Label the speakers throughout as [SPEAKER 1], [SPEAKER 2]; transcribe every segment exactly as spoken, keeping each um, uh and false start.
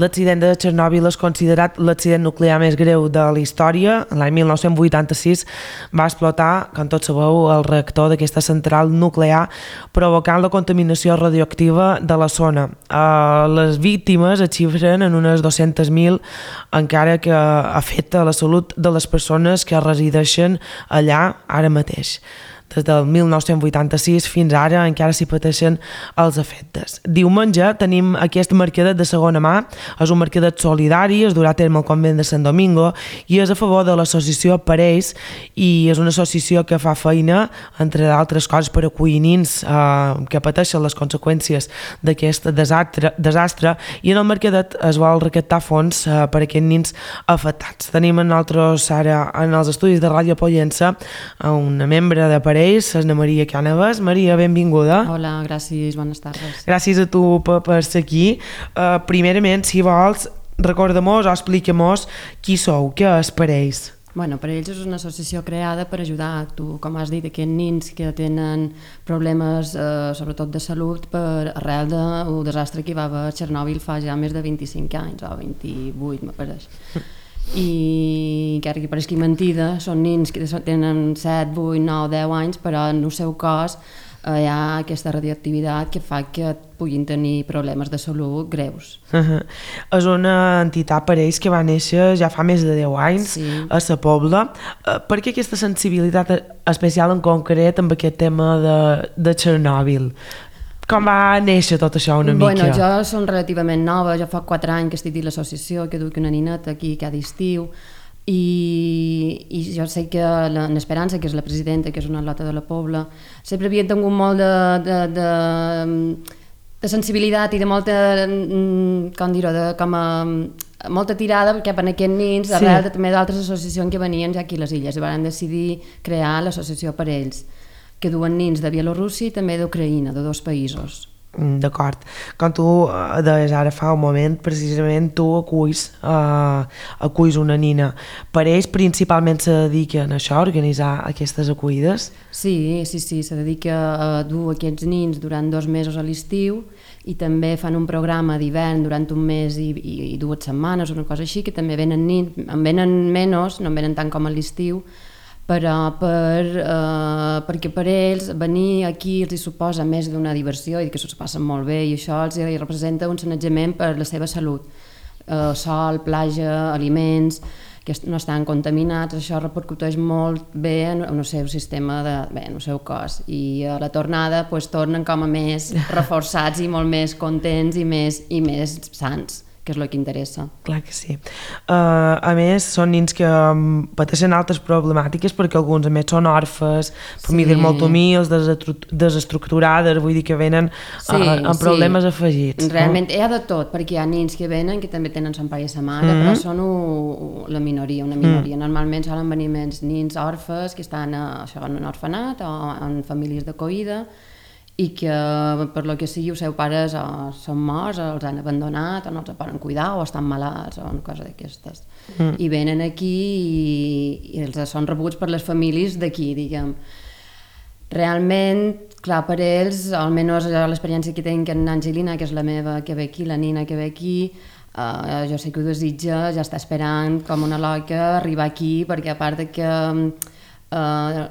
[SPEAKER 1] L'accident de Chernobyl és considerat l'accident nuclear més greu de la història. L'any mil nou-cents vuitanta-sis va explotar, com tots sabeu, el reactor d'aquesta central nuclear, provocant la contaminació radioactiva de la zona. Uh, les víctimes es xifren en unes dues-centes mil, encara que afecta la salut de les persones que resideixen allà ara mateix. Des del mil nou-cents vuitanta-sis fins ara encara s'hi pateixen els efectes. Diumenge tenim aquest mercadet de segona mà, és un mercadet solidari, es durà a terme al convent de Sant Domingo i és a favor de l'associació Parells i és una associació que fa feina, entre d'altres coses, per acollir nins eh, que pateixen les conseqüències d'aquest desastre, desastre i en el mercadet es vol recaptar fons eh, per a aquests nins afectats. Tenim en nosaltres ara en els estudis de Ràdio Pollença una membre de Parells, és na Maria Cànovas. Maria, benvinguda.
[SPEAKER 2] Hola, gràcies, bones tardes.
[SPEAKER 1] Gràcies a tu per, per ser aquí. Uh, primerament, si vols, recorda-mos o explica-mos qui sou, què és Parells.
[SPEAKER 2] Bueno, Parells és una associació creada per ajudar, tu, com has dit, aquests nins que tenen problemes, eh, sobretot de salut, per arrel del desastre que hi va haver a Chernobyl fa ja més de vint-i-cinc anys, o vint-i-vuit, m'apareix. I encara que pareixi mentida, són nins que tenen set, vuit, nou, deu anys, però en el seu cos eh, hi ha aquesta radioactivitat que fa que puguin tenir problemes de salut greus.
[SPEAKER 1] Uh-huh. És una entitat Parells que va néixer ja fa més de deu anys, sí, a Sa Pobla. Uh, per què aquesta sensibilitat especial en concret amb aquest tema de, de Chernobyl? Com va néixer tot això una mica?
[SPEAKER 2] Bueno, jo som relativament nova, jo fa quatre anys que estic dins l'associació, que duc una nineta aquí cada estiu, i, i jo sé que l'Esperança, que és la presidenta, que és una lota de la Pobla, sempre havia tingut molt de, de, de, de sensibilitat i de molta, com dir-ho, de, com a, molta tirada cap a aquests nins, sí, arrel de, també d'altres associacions que venien ja aquí a les illes, i van decidir crear l'associació Parells, que duen nins de Bielorússia i també d'Ucraïna, de dos països.
[SPEAKER 1] D'acord. Com tu deies ara fa un moment, precisament tu aculls, uh, aculls una nina. Parells principalment se dediquen a això, a organitzar aquestes acollides?
[SPEAKER 2] Sí, sí, sí, se dedica a dur aquests nins durant dos mesos a l'estiu i també fan un programa d'hivern durant un mes i, i, i dues setmanes, una cosa així, que també venen nins, en venen menys, no en venen tant com a l'estiu, però per, eh, perquè per ells venir aquí els hi suposa més d'una diversió i que s'ho passen molt bé i això els hi representa un sanejament per la seva salut. Eh, sol, platja, aliments que no estan contaminats, això repercuteix molt bé en, en el seu sistema, de, bé, en el seu cos, i a la tornada pues, tornen com a més reforçats i molt més contents i més, i més sans, que és el que interessa.
[SPEAKER 1] Clar que sí. Uh, a més, són nins que um, pateixen altres problemàtiques perquè alguns a més són orfes, famílies sí, molt humils, desestructurades, vull dir que venen sí, uh, amb problemes sí, afegits.
[SPEAKER 2] Realment
[SPEAKER 1] no?
[SPEAKER 2] Hi ha de tot, perquè hi ha nins que venen que també tenen son pare i sa mare, mm-hmm, però són u, la minoria, una minoria. Mm. Normalment solen venir més nins orfes que estan a, això, en un orfenat o en famílies d'acollida i que per lo que sigui els seus pares o són morts o els han abandonat o no els poden cuidar o estan malalts o una cosa d'aquestes. Mm. I venen aquí i, i els són rebuts per les famílies d'aquí, diguem. Realment, clar, per ells, almenys l'experiència que tinc en Angelina, que és la meva que ve aquí, la nina que ve aquí, uh, jo sé que ho desitja, ja està esperant com una loca arribar aquí, perquè a part de que uh,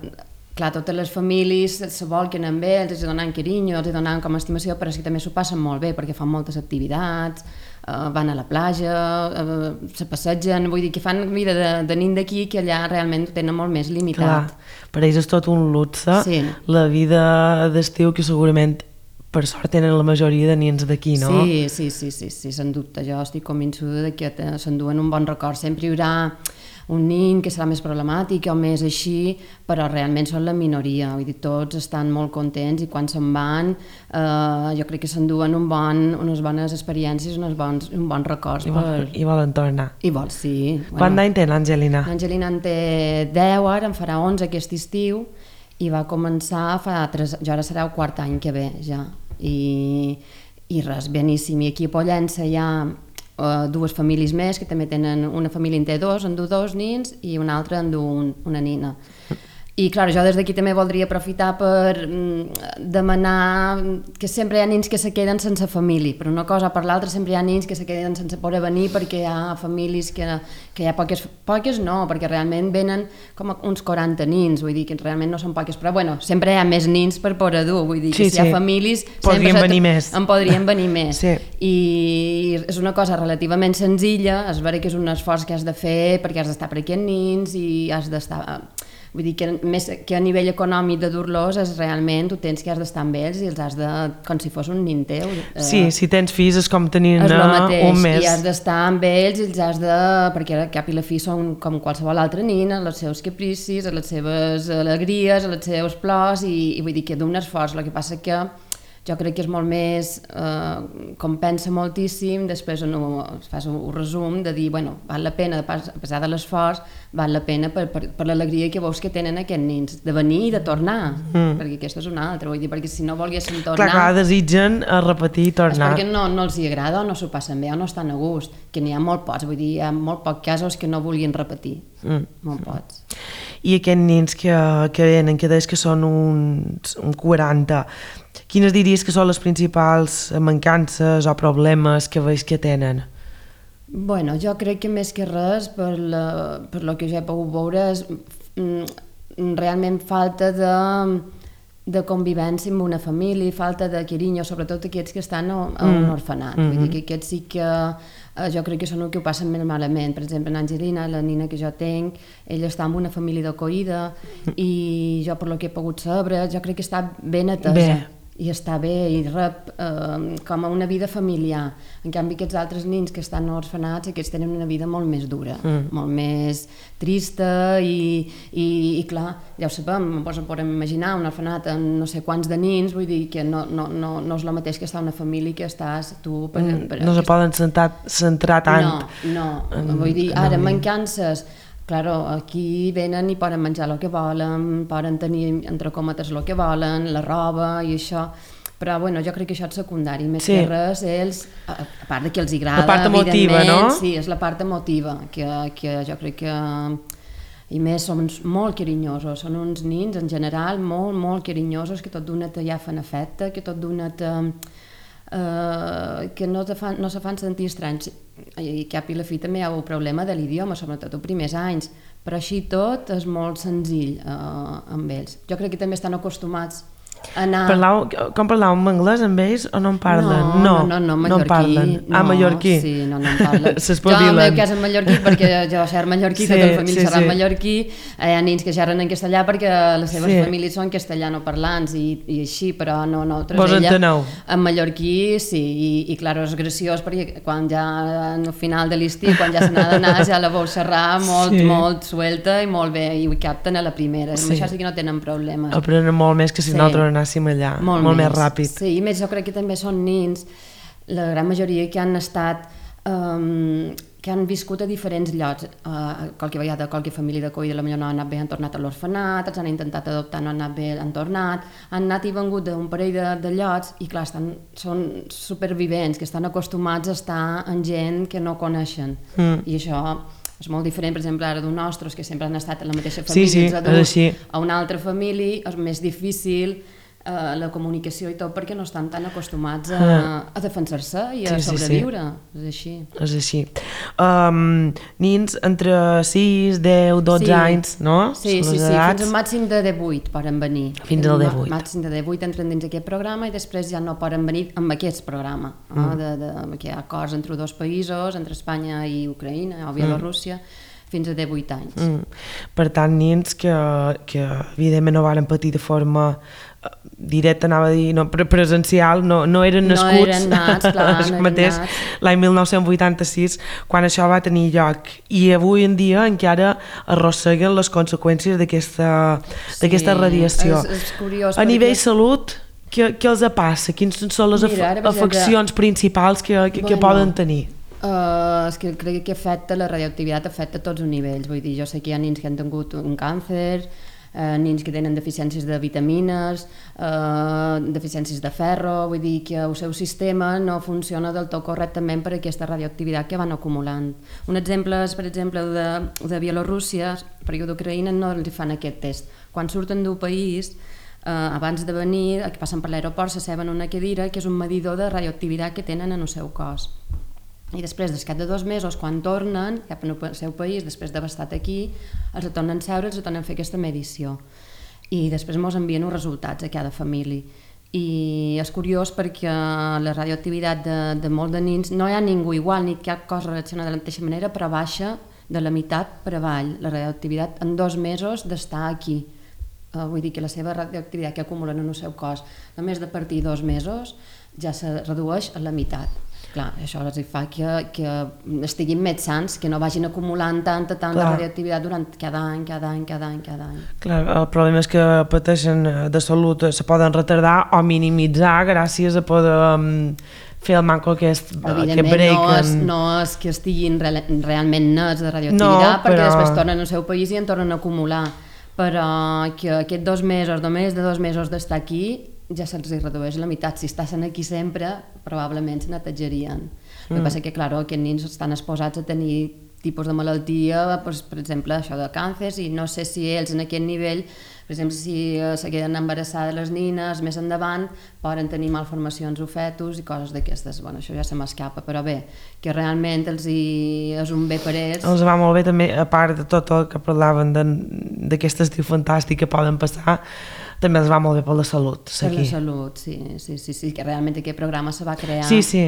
[SPEAKER 2] clar, totes les famílies se volquen amb ells, els donen carinyo, els donen com a estimació, però és que també s'ho passen molt bé perquè fan moltes activitats, eh, van a la platja, eh, se passegen, vull dir que fan vida de, de nin d'aquí que allà realment ho tenen molt més limitat.
[SPEAKER 1] Clar, per ells és tot un luxe, sí, la vida d'estiu que segurament per sort tenen la majoria de nins d'aquí, no?
[SPEAKER 2] Sí, sí, sí, sí, sí, sense dubte, jo estic convençuda de que s'enduen un bon record, sempre hi haurà un nin que serà més problemàtic o més així, però realment són la minoria, vull dir, tots estan molt contents i quan se'n van eh, jo crec que s'enduen un bon, unes bones experiències, uns bons, un bons records.
[SPEAKER 1] I, vol, per... I volen tornar.
[SPEAKER 2] I vol, sí.
[SPEAKER 1] Quant d'any té l'Angelina?
[SPEAKER 2] L'Angelina en té deu, ara en farà onze aquest estiu i va començar fa tres, jo ara serà el quart any que ve ja, i, i res, beníssim. I aquí a Pollença hi ha Uh, dues famílies més que també tenen, una família en té dos, en du dos nins i una altra en du un, una nina. I, clar, jo des d'aquí també voldria aprofitar per mm, demanar que sempre hi ha nens que se queden sense família, per una cosa o per l'altra sempre hi ha nens que se queden sense poder venir perquè hi ha famílies que, que hi ha poques, poques no, perquè realment venen com uns quaranta nens, vull dir que realment no són poques, però bueno, sempre hi ha més nens per poder dur, vull dir que sí, si hi ha sí. famílies...
[SPEAKER 1] Podrien venir més.
[SPEAKER 2] En podrien venir més.
[SPEAKER 1] Sí.
[SPEAKER 2] I és una cosa relativament senzilla, és vera que és un esforç que has de fer perquè has d'estar per aquests nens i has d'estar... Vull dir que més que a nivell econòmic de dur-los és realment, tu tens que has d'estar amb ells i els has de, com si fos un nin teu.
[SPEAKER 1] Sí, si tens fills és com tenir
[SPEAKER 2] un mes. I has
[SPEAKER 1] I
[SPEAKER 2] d'estar amb ells i els has de... perquè al cap i la fi són com qualsevol altre nin, els seus capricis, les seves alegries, els seus plors i, i vull dir que d'un esforç. El que passa que jo crec que és molt més, eh, compensa moltíssim, després no, fas un, un resum de dir, bueno, val la pena, a pesar de l'esforç, val la pena per, per, per l'alegria que veus que tenen aquests nens, de venir i de tornar, mm. perquè aquesta és una altra, vull dir, perquè si no volguessin tornar...
[SPEAKER 1] Clar, clar, desitgen a repetir i tornar.
[SPEAKER 2] És perquè no, no els hi agrada o no s'ho passen bé o no estan a gust, que n'hi ha molt pocs, vull dir, hi ha molt pocs casos que no vulguin repetir, mm. molt pocs.
[SPEAKER 1] I aquests nens que, que venen, que deies que són uns, un quaranta, quines diries que són les principals mancances o problemes que veus que tenen?
[SPEAKER 2] Bueno, jo crec que més que res, per, la, per lo que jo he pogut veure, és mm, realment falta de, de convivència amb una família, falta de carinyo, sobretot aquests que estan a, a un orfenat. Mm-hmm. Vull dir que aquests sí que eh, jo crec que són els que ho passen més malament. Per exemple, en Angelina, la nina que jo tenc, ella està amb una família d'acollida i jo, per lo que he pogut saber, jo crec que està ben atesa. Bé. I està bé, i rep eh, com a una vida familiar. En canvi, aquests altres nens que estan orfenats, aquests tenen una vida molt més dura, mm. molt més trista i, i, i clar, ja ho sabem, ens podem imaginar un orfenat amb no sé quants de nens, vull dir que no, no, no, no és el mateix que estar una família que estàs tu... Per, per,
[SPEAKER 1] no se poden centrar, centrar tant.
[SPEAKER 2] No, no, en, vull dir, ara mancances... Claro, aquí venen i poden menjar el que volen, poden tenir entre cometes el que volen, la roba i això, però bueno, jo crec que això és secundari, més sí. que res ells, a part de que els agrada,
[SPEAKER 1] la part emotiva, no?
[SPEAKER 2] Sí, és la part emotiva, que, que jo crec que... I més, són molt carinyosos, són uns nins en general molt, molt carinyosos, que tot d'una ja fan afecte, que tot d'una te... Uh, que no, te fan, no se fan sentir estranys i cap i la fi també hi ha el problema de l'idioma, sobretot els primers anys, però així tot és molt senzill uh, amb ells. Jo crec que també estan acostumats a anar...
[SPEAKER 1] Parlau, com parlàveu en anglès amb ells o no en parlen?
[SPEAKER 2] No, no, no, no, mallorquí.
[SPEAKER 1] No en parlen.
[SPEAKER 2] No,
[SPEAKER 1] ah, mallorquí.
[SPEAKER 2] Sí, no, no en parlen. Jo en el meu cas en mallorquí, perquè jo xerro mallorquí, sí, tota la família sí, xerra sí. mallorquí, hi ha nens que xerren en castellà perquè les seves sí. famílies són castellanoparlants i, i així, però no, nosaltres
[SPEAKER 1] Vos
[SPEAKER 2] ella
[SPEAKER 1] enteneu?
[SPEAKER 2] En mallorquí sí, i, i clar, és graciós perquè quan ja al final de l'estiu, quan ja se n'ha d'anar, ja la veu xerrar molt, sí. molt suelta i molt bé, i ho capten a la primera, sí. amb això sí que no tenen problemes.
[SPEAKER 1] Aprenen molt més que si sí. nosaltres anàssim allà, molt, molt més. més ràpid.
[SPEAKER 2] Sí, i més jo crec que també són nens, la gran majoria que han estat, um, que han viscut a diferents llocs, uh, qualque vegada, qualque família d'acollida, potser no han anat bé, han tornat a l'orfenat, els han intentat adoptar, no han anat bé, han tornat, han anat i vengut d'un parell de, de llocs i clar, estan, són supervivents, que estan acostumats a estar amb gent que no coneixen, mm. i això... és molt diferent, per exemple, ara d'un nostres que sempre han estat en la mateixa família,
[SPEAKER 1] sí, sí,
[SPEAKER 2] adults, a una altra família és més difícil eh, la comunicació i tot perquè no estan tan acostumats a, a defensar-se i a sí, sobreviure, sí, sí. és així.
[SPEAKER 1] És així. Um, nins entre sis, deu, dotze sí. anys, no?
[SPEAKER 2] Sí, sí, sí, fins al màxim de divuit poden venir.
[SPEAKER 1] Fins al divuit.
[SPEAKER 2] Màxim de divuit entren dins aquest programa i després ja no poden venir amb aquest programa. Mm. No? De, de, que hi ha acords entre dos països, entre Espanya i Ucraïna o Bielorússia, mm. fins a divuit anys. Mm.
[SPEAKER 1] Per tant, nins que, que evidentment no van patir de forma directa, anava a dir, no, presencial, no, no eren nascuts
[SPEAKER 2] no eren nats, clar, no
[SPEAKER 1] mateix l'any mil nou-cents vuitanta-sis, quan això va tenir lloc. I avui en dia encara arrosseguen les conseqüències d'aquesta sí, radiació.
[SPEAKER 2] És, és curiós,
[SPEAKER 1] a perquè... nivell salut, què, què els passa? Quines són les Mira, af afeccions exemple, principals que, que, bueno, que poden tenir?
[SPEAKER 2] Uh, és que crec que afecta, la radioactivitat afecta a tots els nivells. Vull dir, jo sé que hi ha nens que han tingut un càncer, Uh, nens que tenen deficiències de vitamines, uh, deficiències de ferro, vull dir que el seu sistema no funciona del tot correctament per aquesta radioactivitat que van acumulant. Un exemple és, per exemple, de, de Bielorússia, perquè d'Ucraïna no els fan aquest test, quan surten d'un país, eh, abans de venir, que passen per l'aeroport, s'asseuen en una cadira, que és un medidor de radioactivitat que tenen en el seu cos. I després, des de dos mesos, quan tornen cap al seu país, després d'haver estat aquí, els tornen a seure, els tornen a fer aquesta medició. I després ens envien els resultats a cada família. I és curiós perquè la radioactivitat de, de molts de nins, no hi ha ningú igual, ni cap cosa reacciona de la mateixa manera, però baixa de la meitat per avall, la radioactivitat en dos mesos d'estar aquí. Uh, vull dir que la seva radioactivitat que acumulen en el seu cos, només de partir dos mesos, ja se redueix a la meitat. Clar, això els fa que, que estiguin més sants, que no vagin acumulant tanta, tanta Clar. radioactivitat durant cada any, cada any, cada any, cada any.
[SPEAKER 1] Clar, el problema és que pateixen de salut, se poden retardar o minimitzar gràcies a poder um, fer el manco aquest, aquest break.
[SPEAKER 2] No és, no és que estiguin re realment nets de radioactivitat, no, perquè però... després tornen al seu país i en tornen a acumular. Però que aquests dos mesos, només de dos mesos d'estar aquí, ja se'ls redueix la meitat. Si estaven aquí sempre, probablement se netejarien. Mm. El que passa que, clar, aquests nins estan exposats a tenir tipus de malaltia, doncs, per exemple, això de càncer, i no sé si ells en aquest nivell, per exemple, si se queden embarassades les nines, més endavant, poden tenir malformacions o fetus i coses d'aquestes. Bueno, això ja se m'escapa, però bé, que realment els hi és un bé per ells.
[SPEAKER 1] Els va molt bé també, a part de tot el que parlaven d'aquest estiu fantàstic que poden passar, també els va molt bé per la salut.
[SPEAKER 2] Per la salut, sí, sí, sí, sí, que realment aquest programa se va crear
[SPEAKER 1] sí, sí.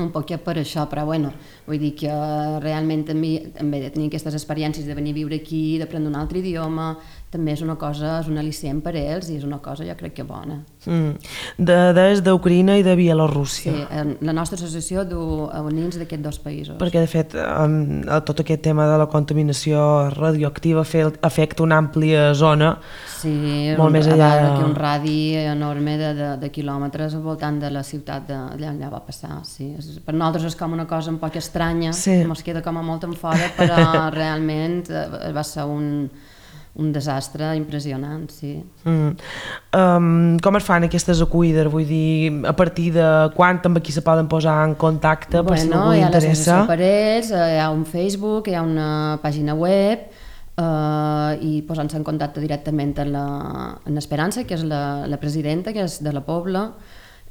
[SPEAKER 2] un poc per això, però bueno, vull dir que realment també, també de tenir aquestes experiències de venir a viure aquí, d'aprendre un altre idioma, també és una cosa, és un al·licient per ells i és una cosa jo crec que bona.
[SPEAKER 1] Mm. De, des d'Ucraïna i de Bielorússia.
[SPEAKER 2] Sí, la nostra associació du a nins d'aquests dos països.
[SPEAKER 1] Perquè de fet um, tot aquest tema de la contaminació radioactiva afecta una àmplia zona,
[SPEAKER 2] sí,
[SPEAKER 1] molt
[SPEAKER 2] un,
[SPEAKER 1] més allà
[SPEAKER 2] de... que un radi enorme de, de, de quilòmetres al voltant de la ciutat d'allà on va passar. Sí. Per nosaltres és com una cosa un poc estranya, sí. ens queda com a molt en fora, però realment va ser un un desastre impressionant, sí. Mm.
[SPEAKER 1] Um, com es fan aquestes acollides? Vull dir, a partir de quan amb qui se poden posar en contacte
[SPEAKER 2] bueno,
[SPEAKER 1] per si algú li interessa?
[SPEAKER 2] Hi ha l'associació per ells, hi ha un Facebook, hi ha una pàgina web uh, i posant-se en contacte directament amb la, amb l'Esperança, que és la, la presidenta, que és de la Pobla,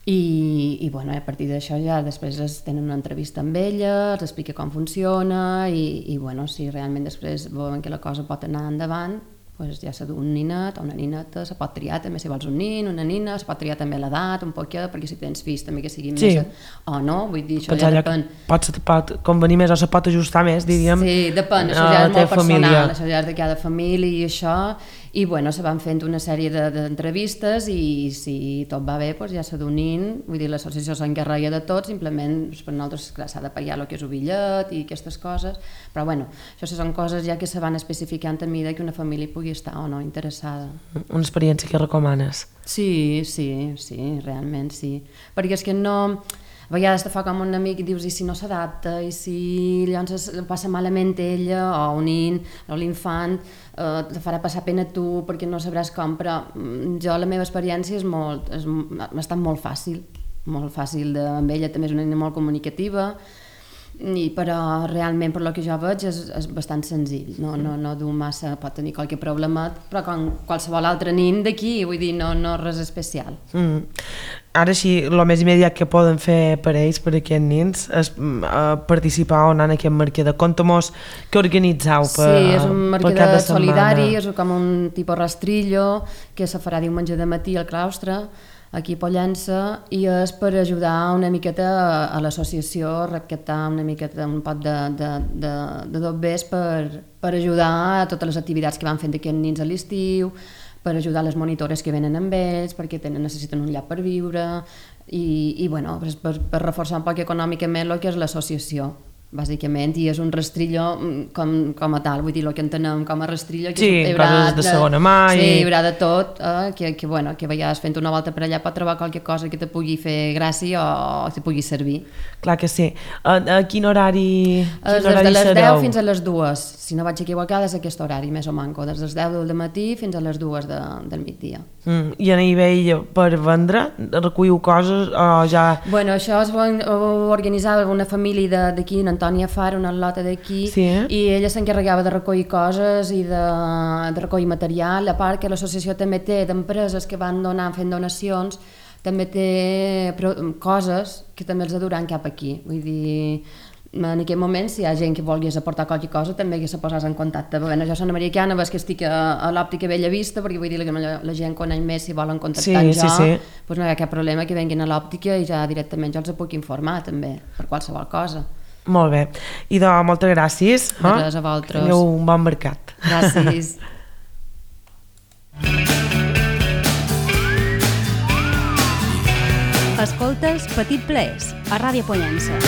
[SPEAKER 2] i, i bueno, a partir d'això ja després es tenen una entrevista amb ella, els explica com funciona i, i bueno, si realment després veuen que la cosa pot anar endavant, pues ja s'ha d'un ninet o una nineta, se pot triar també si vols un nin, una nina, se pot triar també l'edat un poquet, perquè si tens fills també que siguin sí. més o no, vull dir, això
[SPEAKER 1] Pensar
[SPEAKER 2] ja depèn.
[SPEAKER 1] Pot, pot convenir més o se pot ajustar més, diríem.
[SPEAKER 2] Sí, depèn, això ja és molt personal, família. Això ja és de cada família i això, i bueno, se van fent una sèrie d'entrevistes de, i si tot va bé, doncs ja s'ha d'un nin, vull dir, l'associació s'encarrega de tot, simplement doncs, per nosaltres s'ha de pagar el que és el bitllet i aquestes coses, però bueno, això són coses ja que se van especificant a mida que una família pugui estar o no interessada.
[SPEAKER 1] Una experiència que recomanes?
[SPEAKER 2] Sí, sí, sí, realment sí, perquè és que no... A vegades te fa com un amic i dius i si no s'adapta, i si llavors passa malament ella o un nin o l'infant, eh, te farà passar pena a tu perquè no sabràs com, però jo la meva experiència és molt, és, ha estat molt fàcil, molt fàcil de, amb ella també és una nina molt comunicativa, i, però realment per lo que jo veig és, és bastant senzill, no, no, no du massa, pot tenir qualque problema, però com qualsevol altre nin d'aquí, vull dir, no, no res especial. Mm.
[SPEAKER 1] Ara sí, el més immediat que poden fer per ells, per aquests nins, és uh, participar o anar en aquest mercader. Conta-mos què organitzeu per,
[SPEAKER 2] sí, és un mercader solidari, és com un tipus rastrillo que se farà diumenge de matí al claustre, aquí a Pollença, i és per ajudar una miqueta a l'associació a recaptar una miqueta un pot de, de, de, de dobbers per, per ajudar a totes les activitats que van fent aquests nins a l'estiu, per ajudar les monitores que venen amb ells, perquè tenen, necessiten un lloc per viure, i, i bueno, per, per reforçar un poc econòmicament el que és l'associació, bàsicament, i és un rastrillo com, com a tal, vull dir, el que entenem com a rastrillo, que
[SPEAKER 1] sí, hi haurà coses de, de segona mà
[SPEAKER 2] sí,
[SPEAKER 1] i...
[SPEAKER 2] hi haurà de tot, eh, que, que, bueno, que veies fent una volta per allà pot trobar qualque cosa que te pugui fer gràcia o que te pugui servir.
[SPEAKER 1] Clar que sí. A, a quin horari, quin
[SPEAKER 2] des
[SPEAKER 1] horari
[SPEAKER 2] de les
[SPEAKER 1] sereu?
[SPEAKER 2] deu fins a les dues, si no vaig equivocada és aquest horari, més o manco, des de les deu del matí fins a les dues de, del migdia.
[SPEAKER 1] Mm. I a nivell per vendre, recolliu coses o ja...
[SPEAKER 2] Bueno, això es va ho organitzava una família d'aquí, en Antònia Fara, una lota d'aquí,
[SPEAKER 1] sí, eh?
[SPEAKER 2] i ella s'encarregava de recollir coses i de, de recollir material, a part que l'associació també té d'empreses que van donar, fent donacions, també té coses que també els duran cap aquí, vull dir... En aquest moment, si hi ha gent que volgués aportar qualque cosa, també que se posés en contacte. Bueno, jo soc Ana Maria Quiana, ves que estic a, a l'òptica Bella Vista, perquè vull dir que la, la gent coneix més, si volen contactar
[SPEAKER 1] sí,
[SPEAKER 2] jo,
[SPEAKER 1] sí, sí.
[SPEAKER 2] doncs no hi ha cap problema que venguin a l'òptica i ja directament jo els puc informar també, per qualsevol cosa.
[SPEAKER 1] Molt bé. I doncs, moltes gràcies.
[SPEAKER 2] De res, a vosaltres.
[SPEAKER 1] Tingueu un bon mercat.
[SPEAKER 2] Gràcies.
[SPEAKER 3] Escoltes Petit Plaers, a Ràdio Pollença.